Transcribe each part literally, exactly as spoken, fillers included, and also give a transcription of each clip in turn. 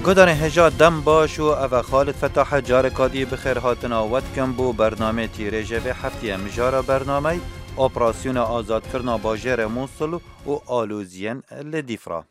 Guhdarên hêja dem baş û ev e Xalid Fetah e, careka dî bi xêr hatina we dikim bo bernameyê tîrêjê vê heftiyê. Mijara bernameyê, operasyona azadkirina bajêrê Mûsil û aloziyên li Dîfra.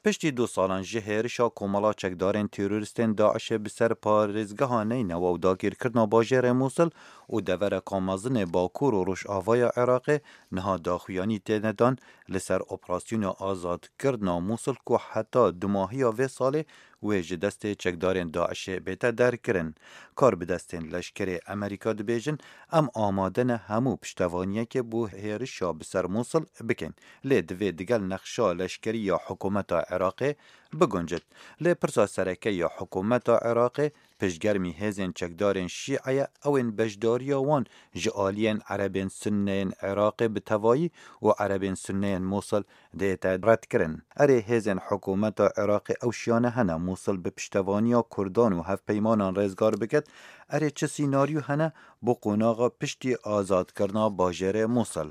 Piştî du salan ji hêrişa komela çekdarên terorîstên DAIŞê bi ser parêzgeha Neynewa û dagirkirina bajêrê Mûsil û devereka mezin ê Bakur û Rojavaya Iraqê, niha daxuyanî têne dan li ser operasyona azadkirina Mûsil ku heta dumahiya vê salê wê ji destê çekdarên DAIŞê bête derkirin. Karbidestên leşkerê Amerîka dibêjin, em amade ne hemû piştevaniyekê bo hêrişa bi ser Mûsil bikin. Lê divê digel nexşa leşkerî ya hikûmeta Iraqê biguncit. Lê pirsa sereke ya hikûmeta Iraqê piştgermî hêzên çekdarên Şîe ye, ew ên beşdariya wan ji aliyên Erebên Sunne yên Iraqê bi tevayî û Erebên Sunne yên Mûsil dête redkirin. Erê, hêzên hikûmeta Iraqê ew şiyane hene Mûsil bi piştevaniya Kurdan û hevpeymanan rêzgar biket? Erê, çi sînaryo hene bo qonaxa piştî azadkirina bajêrê Mûsil?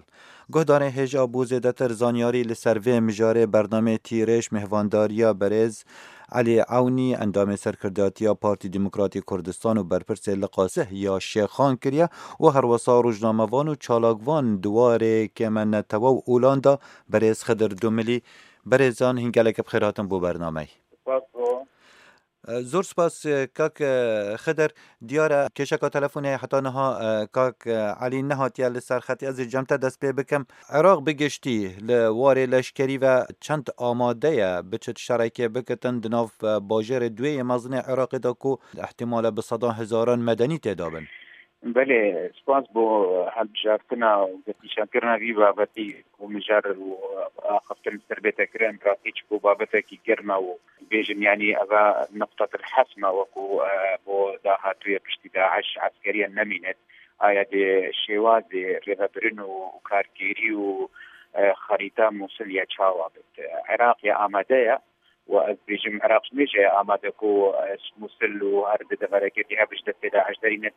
Guhdarên hêja bo zêdetir zanyarî li ser vê mijarê bernameyê Tîrêj mêhvandariya berêz Elî Ewnî, endamê Serkirdatiya Partî Demokratî Kurdistan û berpirsê Liqa Sih ya Şêxan kiriye û herwesa rojnamevan û çalakvan di warê kême netewe û olan de berêz Xidir Dumilî. Berêzan, hîn gelek bi xêr hatin bo bernameyê. Spas bo. E, zor spas, e, kak, e, Xidir. Diyar e, kêşeka telefonê heta niha, e, kak, e, Elî nehatiye li ser xetê. Ez ê cem te dest pê bikim. Iraq bi giştî li warê leşkerî ve çend amade ye biçit şerekê bikitin di nav, e, bajêrê duyê yê mezin ê Iraqê de ku ihtimale bi sedan hezaran medenî tê de bin? Belê, spas bo hilbijartina û destnîşankirina vî babetî û mijar û axaftin li ser bête kirin. Rastî çi ku babetekî germ e û bêjin, yanî eva nuqtetil hesm e, wekû, e, bo dahatûyê piştî DAIŞ eskeriyen nemînet. Aya dê şêwazê rêvebirin û kargêrî û, e, xerîta Mûsil ya çawa bit. Iraq ya amade ye. Û ez dibêjim, Iraq ji mêje ye amade ku, e, Mûsil û her di deverekê dî hev ji destê DAIŞ derînin.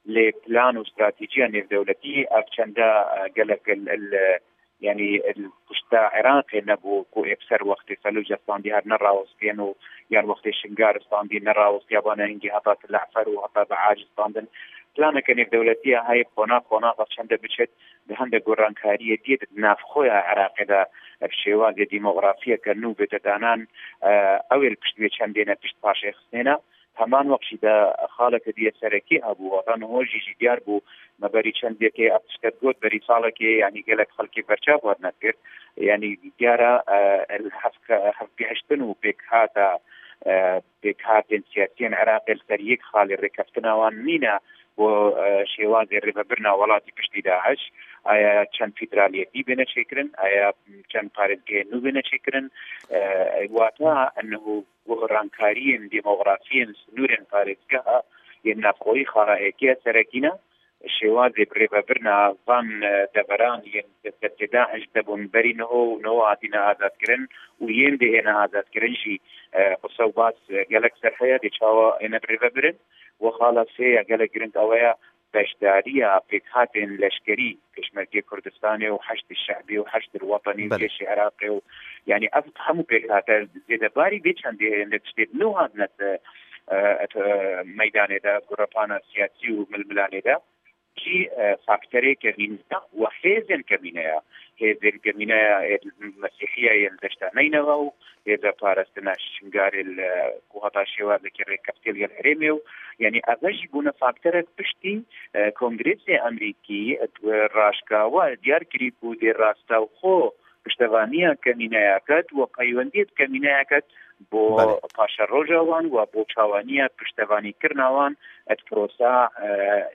Lê plan û stratejiya nêvdewletî ev çende, e, gelek il, il, e, yanî il pişta Iraqê nebû ku ê bi ser wextê Felûce standî her nerawestiyên û yan wextê Şingar standî nerawestiya bana hingî heta Til Efer û heta Biac standin. Planeke nêvdewletî ya heye qonax qonax ev çende biçet. Di hindek gorankariyê diyê di navxweya Iraqê de bi şêwazê demografiyeke nû bête danan, e, ew ê li pişt wê çendê ne, pişt paşê xistê ne. Heman wext jî de xaleke diyê serekî hebû, wata niho jî jî diyar bû, me berî çendekê ev tişte got, berî salekê, yanî gelek xelkê berçav hatine kir. Yanî diyar e, e, hevke-, hevgihiştin û pêkhata, e, pêkhatên siyasiyên Iraqê li ser yek xalê rêkeftina wan nîne bo, e, şêwazê rêvebirina welatî piştî DAIŞ. Aya çend federaliyetî bêne çêkirin, aya çend parêzgehên nû bêne çêkirin. E, wata enho gorankariyên demografiyên sînorên parêzgeha yên navxweyî xala êkê serekî ne. Şêwazê bi rêvebirina van, e, deveran yên destê DAIŞ de bûn berî niho û niho hatine azadkirin û yên dê êne azadkirin jî, e, qise û bas, e, gelek ser heye dê çawa êne bi rêvebirin. Û xala sê ya gelek giring ew ye, beşdariya pêkhatên leşkerî Pêşmergê Kurdistanê û Heşdê Şe'bî û Heşdil Wetenî û Belê. Cêşê Iraqê û, yanî ev hemû pêkhate zêdebarî vê çendê hêne tiştê nû hatine, e, e, meydanê de, gurepana siyasî û milmilanê de. Jî, e, faktorê kemîne ya û hêzên kemîne ya. Hêzên kemîne ya ê Mesîhiya yên deşta Neynewa û hêza parastina Şingarê li, ku heta şêwazekî rêkeftiye li gel herêmê û, yanî, eve jî bûne faktorek piştî, e, Kongresa Amerîkî, e, raşkawa diyar kirî ku dê rastewxo piştevaniya kemîneya ket û peywendiyê bi kemîneya ket bo Belê. paşeroja wan û bo çawaniya piştevanîkirina wan, e, di prosa, e,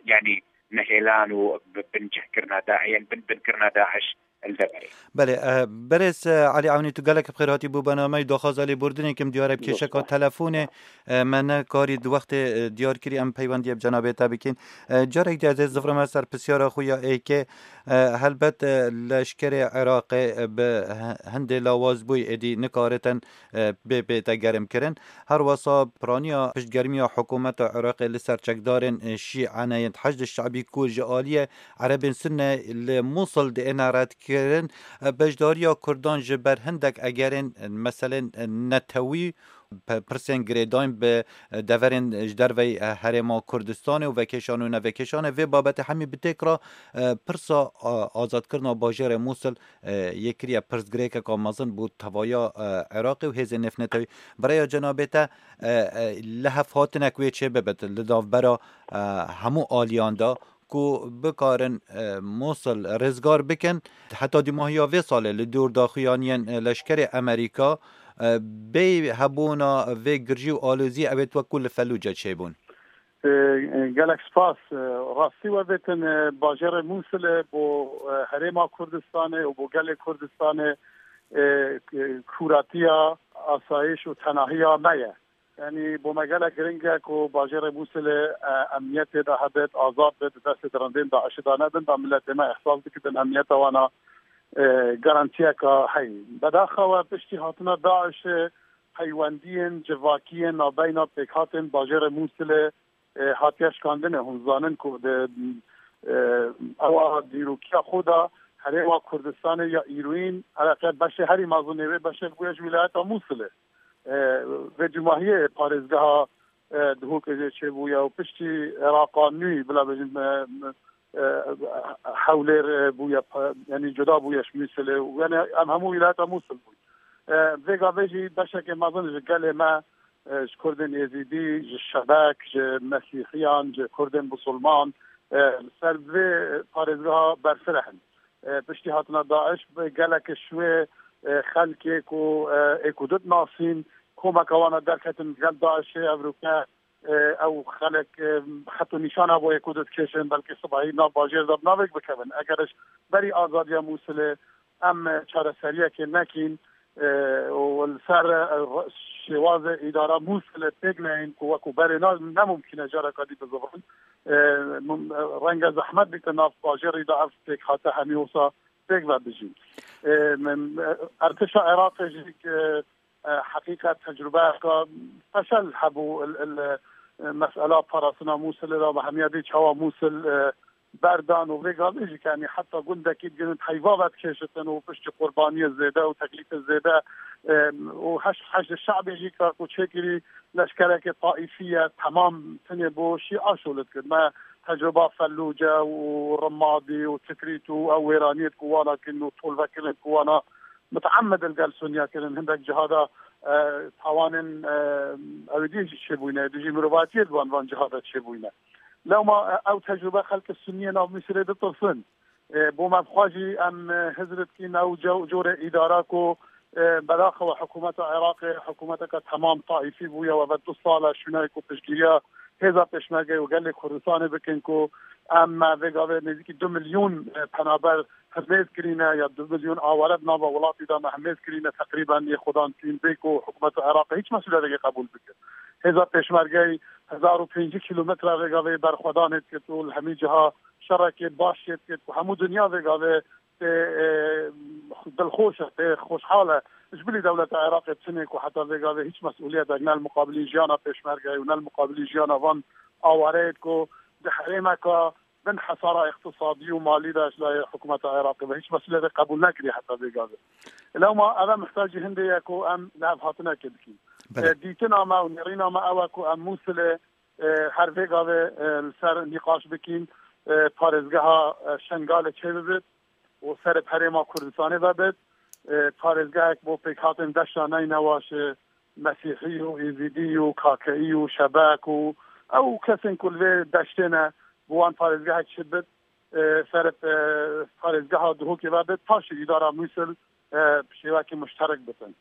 yanî, nehêlan û bi-, bincihkirina Da-, yên bin-, binkirina DAIŞ li deverê. Belê, e, berêz, e, Elî Ewnî, tu gelek bi xêr hatî bo bernameyê. Daxwaza lêbordinê kim diyar e bi Zor kêşeka spas. telefonê, e, me nekarî di wextê, e, diyar kirî, em peywendiyê bi cenabê te bikîn. E, carek dî ez ê zivirime ser pisyara xwe ya êkê. E, helbet, e, leşkerê Iraqê, e, bi he-, hindê lawazbûyî êdî nikaritin, e, bê bête gerimkirin. Her wesa piraniya piştgermiya hikûmeta Iraqê li ser çekdarên, e, Şîe ne yên Heşdê Şe'bî ku ji aliyê Erebên Sunne li Mûsil diêne redkirin, e, beşdariya Kurdan ji ber hindek egerên, e, meselên, e, netewî pe-, pirsên girêdayîn bi, e, deverên ji derveyî, e, Herêma Kurdistanê û vekêşan û nevekêşan e. Vê babetê hemî bi têk re, e, pirsa, a, azadkirina bajêrê Mûsil, e, yê kiriye pirsgirêkeka mezin bo tevaya, e, Iraqê û hêzên nêvnetewî. Bi rêya cenabê te, e, e, li hev hatinek wê çê bibit li navbera, e, hemû aliyan de ku bikarin, e, Mûsil rizgar bikin. Heta dîmahiya vê salê li dûr daxuyaniyên, e, leşkerê Amerîka, e, bê hebûna vê girjî û alozî ew ê wek ku li Felûce çêbûn. E, e, gelek spas. E, rastî we vêtin, e, bajêrê Mûsilê bo, e, Herêma Kurdistanê û bo gelê Kurdistanê, e, e, kûratiya asayiş û tenahiya me ye. Yanî bo me gelek giring e ku bajêrê Mûsilê, e, emniyetê de hebit, azad bit, destê dirindên DAIŞê de nebin, da miletê me ihsas bikitin emniyeta wana, e, garantiyeka heyî. Bedaxa we piştî hatina DAIŞê peywendiyên civakiyên navbeyna pêkhatên bajêrê Mûsilê, e, hatiye şikandinê. Hûn zanin ku di, e, ewa dîrokiya xwe de Herêma Kurdistanê ya îroyîn, ereqe beşê herî mezin ê wê beşek bûye ji wîlayeta Mûsilê. E, vê cumahiyê parêzgeha, e, Duhokê jê çêbûye û piştî Iraqa nû, bila bêjin, e, e, Hewlêr, e, bûye, pa-, yanî cuda bûye ji Mûsilê û yanî em hemû wîlayeta Mûsil bûn. E, vê gavê jî beşekê mezin ji gelê me, e, ji Kurdên Êzîdî, ji Şebek, ji Mesîhiyan, ji Kurdên Musulman, e, li ser vê parêzgeha berfireh in. E, piştî hatina DAIŞ bi gelek ji wê, e, xelkê ku, e, ê ku didinasîn, komeka wana derketin gel DAIŞê, evroke, e, ew xelek, e, xet û nîşana bo ê ku didikêşin, belkî sibahî nav bajêr de bi navek bikevin. Eger ji berî azadiya Mûsilê em çareseriyekê nekîn, e, û li ser, e, şêwazê îdara Mûsilê pêk neyên ku wekû berê na-, ne mumkîn e careka dî bizivrin. E, mum-, e, renge zehmet bîte nav bajêrî de ev pêkhate hemî wisa pêk ve bijîn. E, min, e, Ertişa Iraqê jî, e, e, heqîqet tecrubeyeka feşel hebû il, il, e, mesela parastina Mûsilê de ve hemiya dî çawa Mûsil, e, berdan û vê gavê jî ke, yanî heta gundekî digihîn heyva vedikêşitin û piştî qurbaniyê zêde û teklîfê zêde, e, û heş-, heşdê şebê jî ka ku çêkirî leşkerekê taîfî ye, temam tinê bo şî aşo li dikir. Me tecruba Fellûce û Rimadî û Tikrît û ew wêraniyê ku wana kirin û tolvekirin ku wana miteemmed li gel Suniya kirin. Hindek cihada, e, tawanên, e, ew dî jî çêbûyne, dijî mirovatiyê di wan, van cihada çêbûyne. Lewma, e, ew tecrube xelkê Suniyê nav Misirê ditirsin. E, bo me bi xwe jî em, e, hizr dikîn ew ce-, corê îdara ku, e, bedaxewe hikûmeta Iraqê, hikûmeteke temam taîfî bûye, we ve du sal e şûnayê ku piştgiriya hêza pêşmerge û gelê Kurdistanê bikin ku em, e, vê gavê nêzîkî du milyon, e, penaber hemêz kirîne ya du milyon aware di nava welatî de me hemêz kirîne, teqrîben yê xwedan tîn bê ku hikûmeta Iraqê hiç mesûliyeteke qebûl bike. Hêza pêşmergeyê hezar û pêncî kîlometre vê gavê berxwedanê dikir û li hemî ciha şerekê baş çê dikir ku hemû dinya vê gavê tê, e, dilxweş e, tê xweşhal e. Ji bilî dewleta Iraqê çinê ku heta vê gavê hiç mesûliyetek ne li muqabilî jiyana pêşmergeyê û ne li muqabilî jiyana van awareyê ku di herêmeka bin hesara îqtisadî û malî de ji layê hikûmeta Iraqê ve hiç mesûliyetê qebûl nekiriye heta vê gavê. Lewma ev e mihtacî hindê ye ku em li hev hatinekê dikîn. Belê. E, dîtina me û nêrîna me ew e ku em Mûsilê, e, her vê gavê, e, li ser nîqaş bikîn, e, parêzgeha, e, Şengalê çê bibit û serê herêma Kurdistanê vebit, e, parêzgehek bo pêkhatên deşta Neynewa ji Mesîhî û Êzîdî û Kakeî û Şebek û ew kesên ku li vê deştê ne, bi wan parêzgehek çi bit, e, serê, e, parêzgeha Duhokê vebit, paşê îdara Mûsil, e, bi şêwekî muşterek bitin.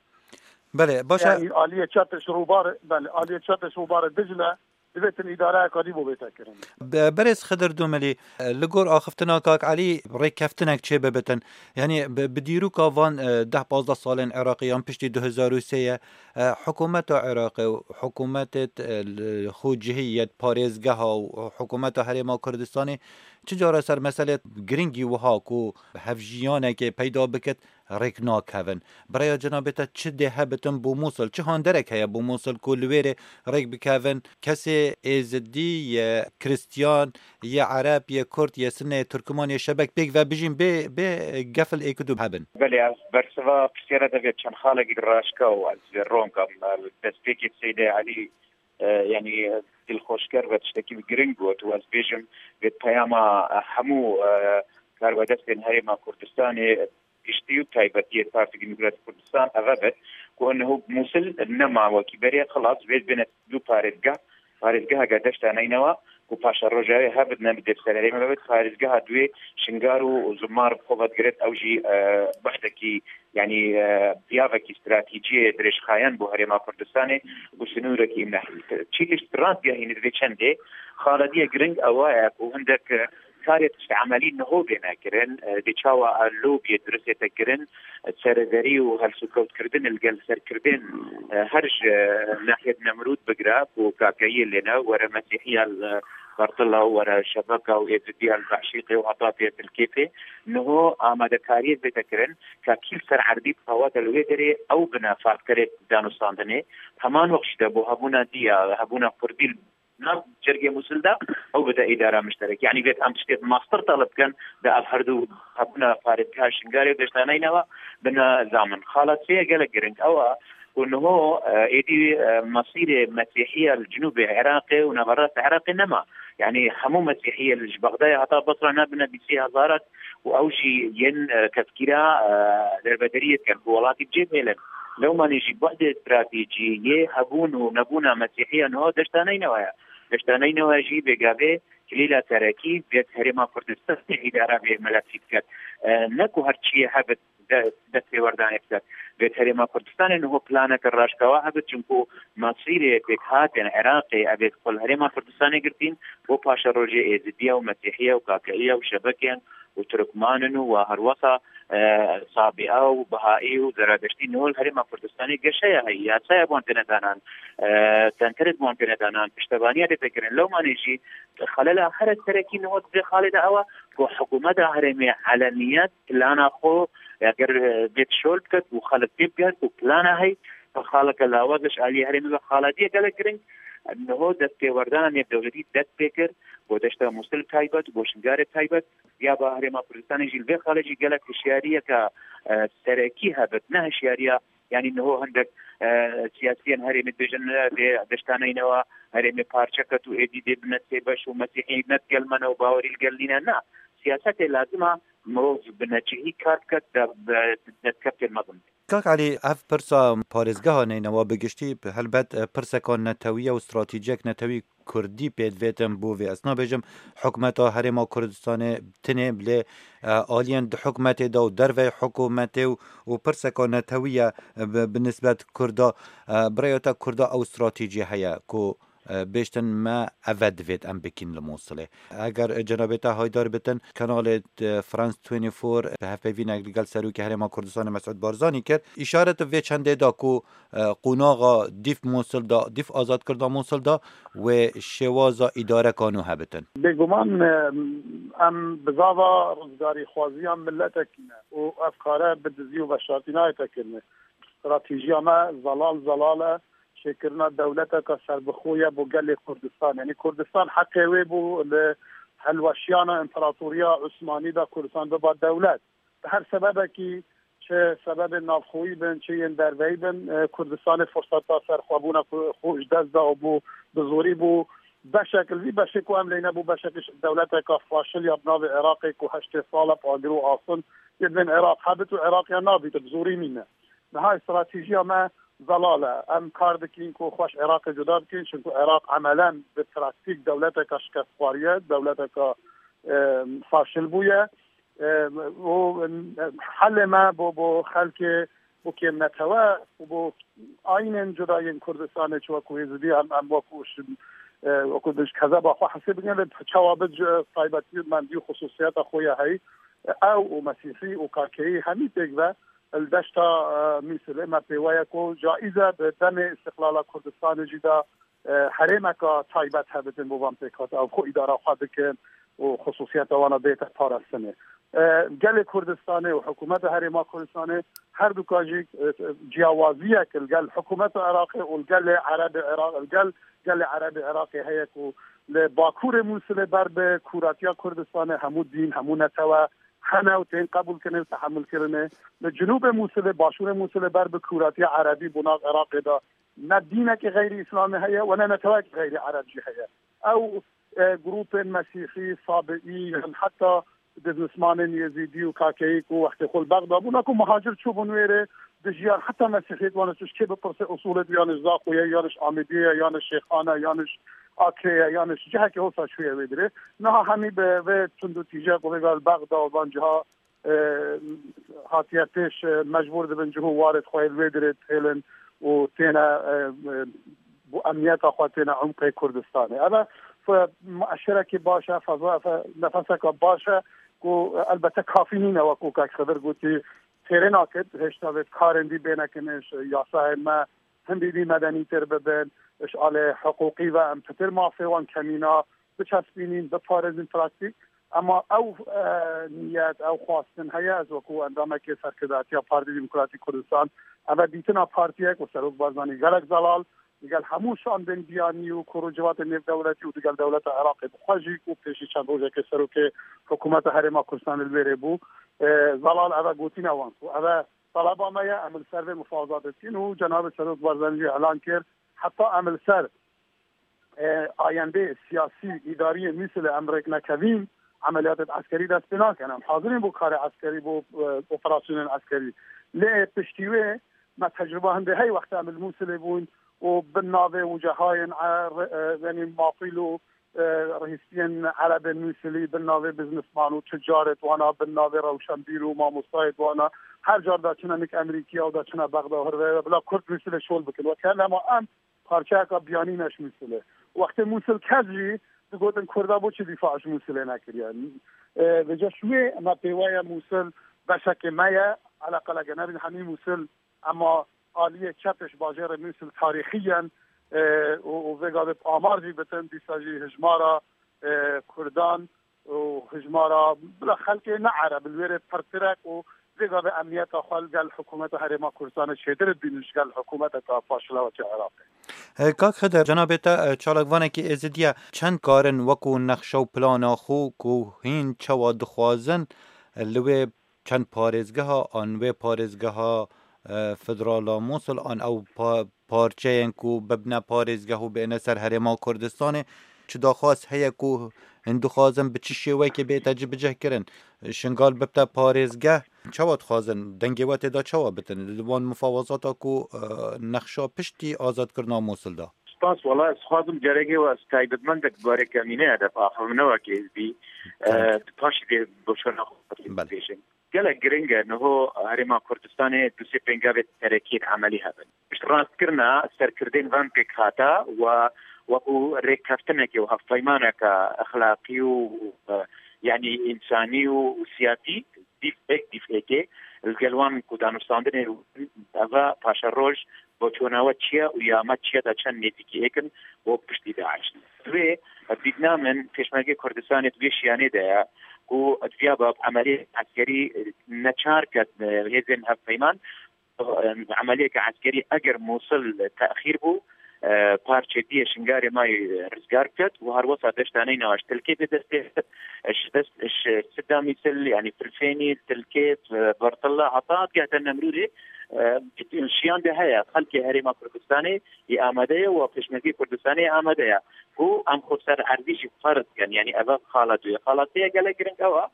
Belê, baş e. Yanî aliyê çepê ji rûbarê, belê, aliyê çepê ji rûbarê Dicle, divêtin îdareyeka dî bo bête kirin. Be-, berêz Xidir Dumilî, li gor axiftina Kak Elî rêkeftinek çê bibitin. Yanî bi, bi dîroka van, e, deh pazdeh salên Iraqê yan piştî du hezar û sê ye, e, hikûmeta Iraqê û hikûmetê, e, li xwe cihî yê parêzgeha û hikûmeta Herêma Kurdistanê çi cara ser meselê giringî wiha ku hevjiyanekê peyda bikit, rêk nakevin. Bi raya cenabê te çi dê hebitin bo Mûsil? Çi handerek heye bo Mûsil ku li wê rê rêk bikevin? Kesê êzidî ye, kristiyan ye, ereb ye, kurd ye, sinne ye, turkuman ye, şebek pêk ve bijîn bê, bê gefil êk û du hebin? Belê, ez bersiva pirsiyara te vê çend xalekî raşka û ez vê ronga me destpêkê Seydê Elî, e, yanî dilxweşker ve tiştekî giring got û ez bêjim vê peyama, e, hemû, e, karvedestên Herêma Kurdistanê giştî û taybetiyê Partî Demokratîk Kurdistan eve be ku niho Mûsil nema wekî berê xilas vê bêne du parêzgeh, parêzgeheke Deşta Neynewa ku paşeroja wê hebit ne bi dê sererê me bibit, parêzgeha duê Şingar û Zumar bi xwe ve digiret, ew jî, e, behdekî, yanî, e, piyavekî stratejiyê dirêjxayan bo Herêma Kurdistanê û sinûrekî nehî. Çî tişt rast gehînî di vê çendê xalediye giring ewa ye ku hindek, e, karê tişt emelî niho bêne kirin, e, dê çawa, e, lobiyê duristê te kirin, e, serederî û helsûkewtkirdin li gel serkirdên, e, her ji, e, nahiyet Nemrûd bigire ku kakeyiyê lê ne, were Mesîhiya, e, Bertila û were Şebeka û Êzidiya li Behşîqê û heta tê Tilkêfê. Niho amadekariyê bête kirin ka kî li ser erdî bi qewete li wê derê ew bine faktorê danûstandinê. Heman wext jî de bo hebûna diya, hebûna Kurdî nav cêrgê Mûsil de ew bide îdara mişterek. Yanî vêt em tiştê mastir talib bikin de ev her du hebûna parêzgeha Şingalê û Deşta Neynewa bine zamin. Xala sê gelek giring ew e ku niho, e, êdî, e, mesîrê Mesîhiya li Cinûbê Iraqê û Naverast Iraqê nema. Yanî hemû Mesîhiye li ji Bexdayê heta Basra nabine bîsî hezaran û ew jî yên, e, tezkîra, e, dervederiyê dikin ku welatî bi cih bihêlin. Lewmanê jî buhdê stratejî yê hebûn û nebûna Mesîhiya niho Deşta Neynewa ye. Deşta Neynewa jî bêgavê kilîla serekî vêt Herêma Kurdistanê îdara vê miletî diket. E, ne ku her çiyê hebit de-, dest pêwerdanê biket. Vêt Herêma Kurdistanê niho planeke raşkawa hebit, çimku masîrê pêkhatên Iraqê evêt xwe li Herêma Kurdistanê girtîn, bo paşerojê Êzidiya û Mesîhiya û Kakeyiya û Şebekên û Turkmanin û wa herwesa, e, Sabia û Bihaî û Zeradeştî niho li Herêma Kurdistanê geşeya heye, yasaya bi wan têne danan, e, tentere bi wan têne danan, piştevaniya dê tê kirin. Lewmanê jî xelela here serekî niho di vê xalê de ew e ku hikûmeta herêmê eleniyet plana xwe, eger, e, bêt şol biket û xelk tê bigerin ku plana heye, xaleke lawaz e ji aliyê herêmê ve. Xalediye gelek giring, niho destpêwerdana nêvdewletî dest pê kir, bo deşta Mûsil taybet, bo Şingalê taybet. Ya ba Herêma Kurdistanê jî li vê xalê jî gelek hişyariyeke, e, serekî hebit, ne hişyariya, yanî niho hindek, e, siyasiyên herêmê dibêjin, e, vê deşta Neynewa herêmê parçe ket û êdî dê bine sê beş û Mesîhî ne digel me ne û bawerî li gel nîne. Na, siyasetê lazim e mirov bi neçihî kar biket, de, de, destkeftên mezin. Kak Elî, ev pirsa parêzgeha Neynewa bi giştî, helbet, e, pirseka netewî ye û stratejiyek netewî Kurdî pê divêtin bo vê. Ez nabêjim hikûmeta Herêma Kurdistanê tinê, lê, e, aliyên di hikûmetê de û derveyê hikûmetê û, û pirseka netewî ye, e, bi, bi nisbet Kurda, e, bi rêya te Kurda ew stratejî heye ku, e, bêjtin me eve divêt em bikîn li Mûsilê. Eger, e, cenabê te haydar bitin, kanalê, e, France twenty-four, e, hevpeyvînek li gel Serokê Herêma Kurdistanê Mesûd Barzanî kir, îşaret vê çendê da ku, e, qonaxa dîf Mûsil da, dîf azadkirina Mûsil da wê şêwaza îdareka nû hebitin. Bêguman, e, em bizava rizgarîxwaziya miletekî ne û ev kare bi dizî û veşartî nayête kirinê. Stratejiya me zelal zelal e. Çêkirina dewleteke serbixwe ye bo gelê Kurdistan. Yanî Kurdistan heqê wê bû li helweşiyana Împaratoriya Osmanî de Kurdistan biba dewlet. Bi her sebebekî, çi sebebên navxweyî bin, çi yên derveyî bin, e, Kurdistanê firseta serxwebûna xwe, xwe ji dest da û bû bi zorî bû beşek, li vî beşê ku em lê nebû, beşek ji dewleteka faşil ya bi navê Iraqê ku heştê sal e bi agir û asin yê bên Iraq hebit û Iraq ya nabît, bi zorî mîne. Niha stratejiya me zelal e. Em kar dikîn ku xweş Iraqê cuda bikîn, çimku Iraq emelen bi praktîk dewleteka şikestxwariye, dewleteka, e, faşil bûye. E, û, e, helê me bo, bo xelkê, bo kêm netewe û bo ayînên cuda yên Kurdistanê, çi wekû Êzidî em, em wekû şi-, e, wekû bi kezeba xwe hesê bikin, lê çawa bi ci-, taybetî û mendî û xisûsiyeta xwe ya heyî, ew û Mesîhî û Kakeyî hemî pêk ve li deşta, e, Mûsilê me pê we ye ku caîz e bi demê îstiqlala Kurdistanê jî de, e, herêmeka taybet hebitin bo van pêkhate, ew xwe îdara xwe bikin û xisûsiyeta wana bête parastinê. e, gelê Kurdistanê û hikûmeta Herêma Kurdistanê her duka jî, e, ciyawaziyek li gel hikûmeta Iraqê û li gelê Erebê Iraq, li gel gelê Erebê Iraqê heye ku li Bakurê Mûsilê ber bi kûratiya Kurdistanê hemû dîn, hemû netewe hene û tên qebûlkirinê û tehemilkirinê. Li Cinûbê Mûsilê, Başûrê Mûsilê ber bi kûratiya Erebî bo nav Iraqê de ne dînekî xeyrî Îslamî heye û ne netewekî xeyrî Ereb jî heye. Ew, e, grûpên Mesîhî, Sabiî yan heta biznismanên Yezîdî û Kakeyî ku wextê xwe li Bexda bûn, ku muhacir çûbûn wêrê, dijiyan heta Mesîhiyet wan ji kê bipirse, usulê yan ji Zaxoyê, yan ji Amêdiyê, yan ji Şêxan e, yan ji Akrê ye, yan ji cihekê hosa çûye wê dirê. Niha hemî bi vê tund û tîje ku vêga li Bexda û van ciha, e, hatiye pêş, e, mecbûr dibin cih û warê xwe li wê dirê dihêlin û têne, e, e, bo emniyeta xwe têne umqê Kurdistanê. Ev e fe-, mueşerekî baş e, feza, fe-, nefeseke baş e ku elbette kafî nîne, wekû kek Xidir gotî, têrê nakit, hêşta vê karên dî bêne kirin, ji yasayên me hindî dî medenîtir bibin, ji alê hiqûqî ve em pitir mafê wan kemîna biçespînîn, biparêzin praktîk. Ema ew, e, niyet, ew xwastin heye, ez wekû endamekê serkirdatiya Partî Demokratîk Kurdistan, ev e dîtina partiyek û Serok Barzanî gelek zelal, digel hemû şandên biyanî û kor û civatên nêvdewletî û digel dewleta Iraqê bi xwe jî ku pêşî çend rojekê serokê hikûmeta Herêma Kurdistanê li wêrê bû, e, zelal ev e gotîna wan ku ev e taleba me ye, em li ser vê mufawezatê dikin û cenabê Serok Barzanî jî elan kir, heta em li ser, e, ayendê siyasî, îdarî yê Mûsilê em rêk nekevîn, emeliyatê eskerî dest pê nakin. Em hazir in bo karê eskerî, bo, e, operasyonên eskerî. Lê piştî wê me tecrûba hindê hey wextê em li Mûsilê bûn û bin navê wicehayên, e, re-, e, yanî mafîl û, e, rihîstiyên Erebên Mûsilî, bin navê biznisman û ticaret wana, bin navê rewşenbîr û mamostayê wana, her car da çine nik Emerîkiya û da çine Bexda û hirve bila Kurd Mûsilê şol bikin. Weke nema em parçeyeka biyanî ne ji Mûsilê. Wextê Mûsil kes jî digotin Kurda bo çi dîfa ji Mûsilê nekiriye? E, vêca ji wê me pê weye Mûsil beşekê me ye, eleqele genevîn hemî Mûsil, ema aliyê çepê ji bajêrê Mûsil tarîxiyen, e, û, û vêga bê amar jî bitin, dîsa jî hijmara, e, Kurdan û hijmara bila xelkê ne Ereb li wêrê pirtirek û vêga vê emniyeta xwe li gel hikûmeta Herêma Kurdistanê çêtir dibînin ji gel hikûmeteka paşlewatê Iraqê. E, Kak Xidir, cenabê te, e, çalakvanekî Êzidiye, çend karin wekû nexşa û plana xwe ku hîn çawa dixwazin, e, li wê çend parêzgeha an wê parêzgeha, e, federala Mûsil an ew pa-, parçeyên ku bibne parêzgeh û bêne ser Herêma Kurdistanê, çi daxwaz heye ku hûn dixwazin bi çi şêwekê bête cibicihkirin? Şingal bibte parêzgeh, çawa dixwazin? Dengê we tê de çawa bitin? Li wan mufawazata ku, e, nexşa piştî azadkirina Mûsil de? Spas, wela ez dixwazim carekê we ez taybetmendek bi barê kemîneya de biaxivim, ne wek êzdî, e, Belê. Paşî dê boşana xwe Belê. Bêjim. Gelek giring e, niho Herêma Kurdistanê du sê pêngavê terekî emelî hebin. Piştrastkirina serkirdên van pêkhata we wekû rêkeftinekê û hevpeymaneke exlaqî û, e, yanî însanî û, û siyasî dîf pêk dîf êkê li gel wan ku danûstandinê eva paşeroj boçûna we çi ye û ya me çi ye de çend nêzîkî êkin bo piştî DAIŞ. Divê dîtina min Pêşmergê Kurdistanê di vê şiyanê de ye ku diviya bi emeliyê eskerî neçar ket, e, hêzên hevpeyman, e, emeliyeke eskerî eger Mûsil texîr bû, e, parçê diyê Şingalê mayî rizgar biket û her wesa deşta neyna ji Tilkê bi destê, ji dest, ji Sida Mîsil, yanî Filfênî, Tilkê, e, Bertilla, heta digehte Nemrûdê, e, şiyan de heye. Xelkê Herêma Kurdistanê yê amade ye û Pêşmergê Kurdistanê yê amade ye. Ku em xwe ser erdî jî ferz dikin, yanî eva xala duyê. Xala sê ye gelek giring ew e.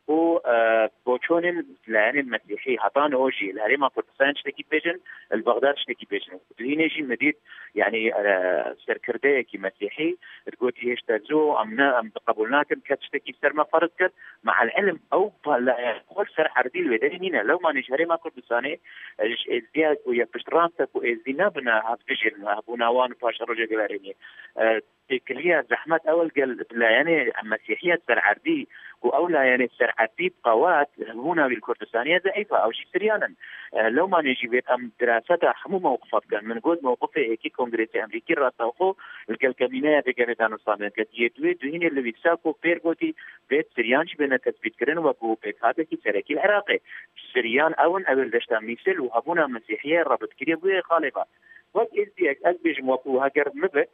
û, e, boçûnên layenên mesîhî heta niho jî li Herêma Kurdistanê tiştekî dibêjin, li Bexdad tiştekî dibêjin. Di hînê jî min dît, yanî, e, serkirdeyekî mesîhî digotî hêşta zû, em ne, em qebûl nakin kes tiştekî ser me ferz kir. Me'el ilm ew pa-, layen xwe li ser erdî li wê derê nîne. Lewmanê ji Herêma Kurdistanê, e, ji êzdiya ku ye piştrast e ku êzdî nebine hevdijên hebûna wan û paşerojê guherînê. E, Têkiliya zehmet ew li gel layenê mesîhiya ser erdî Ku ew layenê ser Efîf, Qewat, hebûna wî li Kurdistanê ye zeîf e, ew jî Siryan in. E, lewmanê jî vêt em diraseta hemû mewqifa bikin. Min got mewqifê êkî Kongresê Emrîkî rastewxo li gel kemîneya vê gelê danûstanê dike. Yê duê duhînê li wî sa ku pêr gotî vêt Siryan jî bêne tesbîtkirin wekû pêkhatekî serekî li Iraqê. Siryan ew in, ew ê li deşta Mîsil û hebûna Mesîhiyê rebitkirî bûye xalê ve. Wek êzdiyek ez bêjim wekû heger min bit,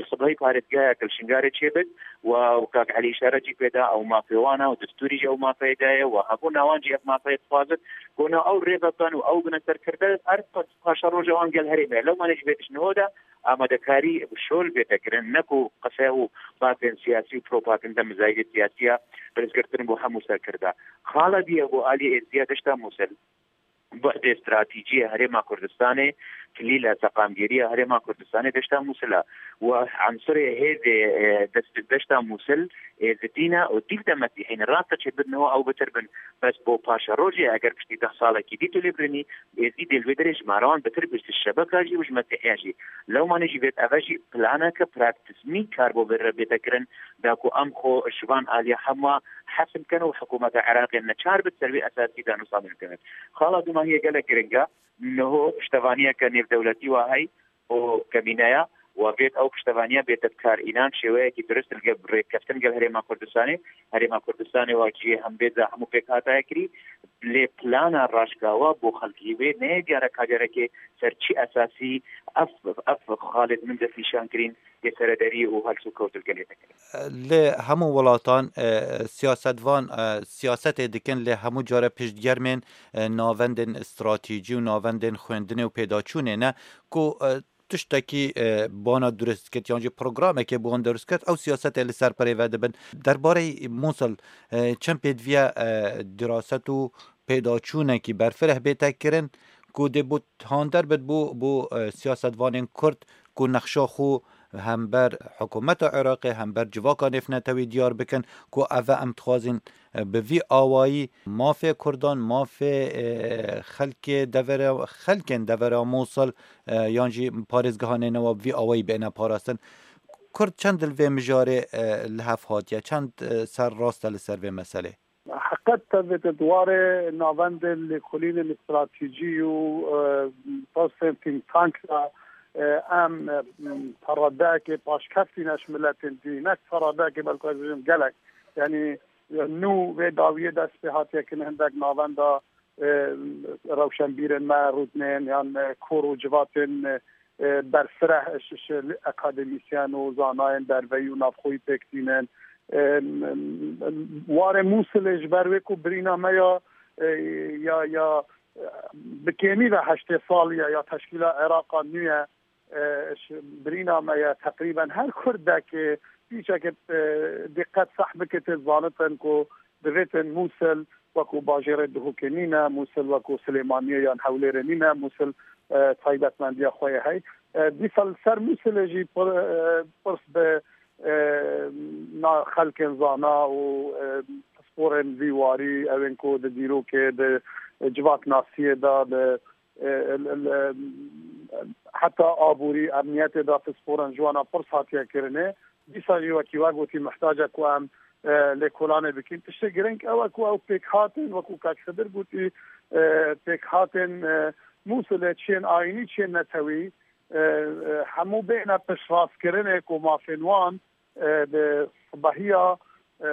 sibehî parêzgehek li Şingalê çêbit û kak Elî îşare jî pê da, ew mafê wan e û destûrî jî ew mafeyê daye û hebûna wan jî ev mafeyê dixwazin ku na ew rê vedan û ew bine serkirde, her paşeroja wan gel herêmê ye. Lewmanê jî vê tişt niho de amadekarî şol bête kirin, ne ku qise û bafên siyasî û propaganda mizayîdê siyasî ya pirsgirtin bo hemû serkirda. Xala diye bo aliyê êzdiya deşta Mûsil. Bu'dê stratejî ya Herêma Kurdistanê, kilîla seqamgeriya Herêma Kurdistanê deşta Mûsil e. Û ensurê hêzê, e, dest deşta Mûsil, e, êzidî ne û dîv de mesîhî ne. Rast e çêbirine ew bitir bin. Bes bo paşerojê eger piştî deh salekî dî tu lê birinî, êzidî dê li wê derê ji mara wan bitir bî, ji şebeka jî û ji mesîhiya jî. Lewmanê jî vêt eve jî planeke praktizmî kar bo vê re bête kirin, da ku em xwe ji van aliya hema hesin bikin û hikûmeta Iraqê neçar bit ser wê esasî danûstanê bikin. Xala dûmahiyê gelek giring e. Niho piştevaniyeke nêvdewletî wa hey û kemîne ya, wa vêt ew piştevaniya bête bi kar. Înan şêweyekî dirist li gel rêkeftin gel Herêma Kurdistanê. Herêma Kurdistanê wa cihê hembêza hemû pêk hataya kirî. Lê plana raşkawa bo xelkî wê neyê diyar e ka carekê ser çi esasî ev, ev xalê di min destnîşan kirîn yê serederî û helsûkewt li gelê dikin. Li hemû welatan, e, siyasetvan, e, siyasetê dikin, lê hemû care piştgermên, e, navendên stratejî û navendên xwendinê û pêdaçûnê ne ku, e, tiştekî, e, bana durust ket yan jî programekê bi wan durust ket, ew siyasetê li ser perê ve dibin. Derbarê Mûsil, e, çend pêdiviye, e, diraset û pêdaçûnekî berfireh bête kirin ku dê bo handerbit bo, bo, e, siyasetvanên Kurd ku nexşa xwe hember hikûmeta Iraqê, hember civaka nêvnetewî diyar bikin ku eve em dixwazin, e, bi vî awayî mafê Kurdan, mafê, e, xelkê devera, xelkên devera Mûsil, e, yan jî parêzgehanê newa bi vî awayî bêne parastin. Kurd çend li vê mijarê, e, li hev hatiye, çend, e, ser rast e li ser vê meselê? Heqet tevêtin di warê navendên lêkolînên stratejî û, e, pirsên think tank de, e, em, e, peredeyekê paşkevtî ne ji miletên dî, ne peredeyekê belku ez bêjim gelek. Yanî, e, nû vê dawiyê dest pê hatiye kirin hindek navenda, e, rewşenbîrên me rûdinên yan, e, kor û civatên, e, e, berfireh ji, ji akademîsyen û zanayên derveyî û navxweyî pêk tînin. E, m-, m-, warê Mûsilê ji ber wê ku birîna me ya, e, ya, ya, e, bi kêmî ve heştê salî ye ya teşkîla Iraqa nû ye, e, ji birîna me ye. Teqrîben her Kurdekê pîçekê, e, diqet seh bike tê zanitin ku divêtin Mûsil wekû bajêrê Duhokê nîne, Mûsil wekû Silêmaniyê yan Hewlêrê nîne, Mûsil, e, taybetmendiya xwe ye hey. E, dîsa li ser Mûsilê jî pir-, e, pirs bi, e, na xelkên zana û, e, pisporên vî warî, ewên ku di dîrokê, di civaknasiyê de, di, e, el, el, e, heta aborî, emniyetê de pisporên ji wana pirs hatiye kirinê. Dîsa jî wekî we gotî, mihtac e ku em, e, lêkolanê bikin. Tiştê girîng ew e ku ew pêkhatên, wekû kak Xidir gotî, e, pêkhatên, e, Mûsilê, çiyên ayînî, çiyên netewî, e, e, hemû bêhne piştrastkirinê ku mafên wan, e, bi sibehiya, e,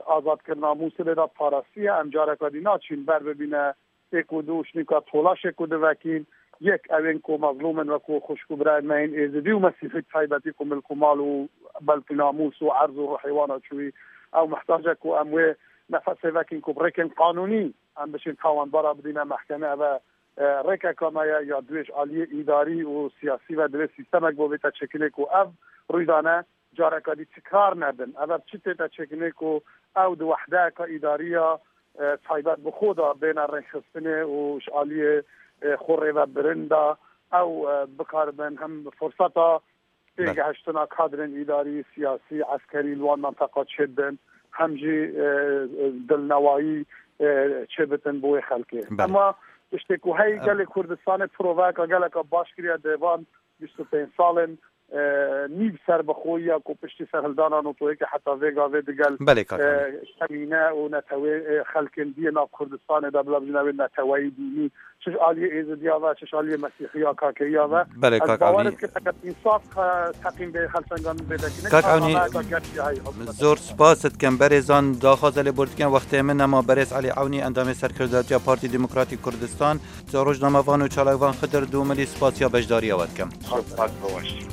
azadkirina Mûsilê de parastiye. Em careka dî naçîn ber bibîne pêk û du û şnîka tolaşê ku divekîn, yek ewên ku mezlûm in, wekû xwişk û birayên me yên êzidî û mesîhî taybetî ku milk û mal û belkî namûs û erz û ruhê wan a çûyî, ew mihtac e ku em wê nefesê vekîn ku bi rêkên qanûnî em biçin tawanbara bidîne mehkemê. Eve, e, rêkeka me ye ya divê ji aliyê îdarî û siyasî ve divê sîstemek bo bête çêkirinê ku ev rûydane careka dî tikrar nebin. Ev, ev çi tête çêkirinê ku ew di wehdeyeka îdariya, e, taybet bi xwe de bêne rêxistinê û ji aliyê, e, xwe rêvebirin de ew, e, bikaribin hem furseta Belê. Pêgehiştina kadrên îdarî, siyasî, eskerî li wan menteqa çêbibin, hem jî, e, e, dilnewayî, e, çêbitin bo wê xelkê. Belê. Ema tiştê ku hey Em gelê Kurdistanê proveyeka geleka baş kiriye di van bîst û pênc salên e, nîv serbixweyiya ku piştî serhildana NATOyê ke heta vê gavê digel, Belê, kak e, Avnî. Kemîne û netewê, e, xelkên diyê nav Kurdistanê de bila bijîne wê neteweyî dînî, çi ji aliyê Êzidiya ve, çi ji aliyê Mesîhiya, Kakeyiya ve. Belê, Ez kak bawer Avnî. Dikim, eger însaf, e, teqîm bê xelçengan bê dekine, Kak Avnî, hikûmet. Zor spas dikim. Berêzan daxwaze lê bor dikin. Wextê min nema berêz Elî Ewnî, endamê serkirdatiya Partî Demokratîk Kurdistan. Rojnamevan û çalakvan Xidir Dûmilî, spasiya beşdariya we dikim. Spas, baş.